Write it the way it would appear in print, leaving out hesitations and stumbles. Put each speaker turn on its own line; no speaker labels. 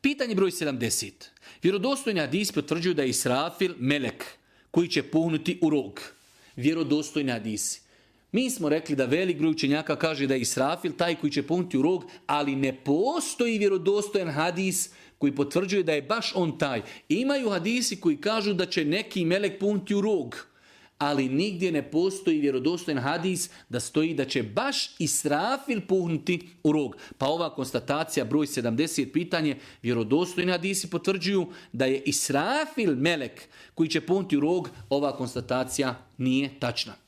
Pitanje broj 70. Vjerodostojni hadisi potvrđuju da je Israfil melek koji će puhnuti u rog. Vjerodostojni hadisi. Mi smo rekli da velik broj učenjaka kaže da je Israfil taj koji će puhnuti u rog, ali ne postoji vjerodostojan hadis koji potvrđuje da je baš on taj. Imaju hadisi koji kažu da će neki melek puhnuti u rog, ali nigdje ne postoji vjerodostojan hadis da stoji da će baš Israfil puhnuti u rog. Pa ova konstatacija broj 70 pitanje, vjerodostojni hadisi potvrđuju da je Israfil melek koji će puhnuti u rog, ova konstatacija nije tačna.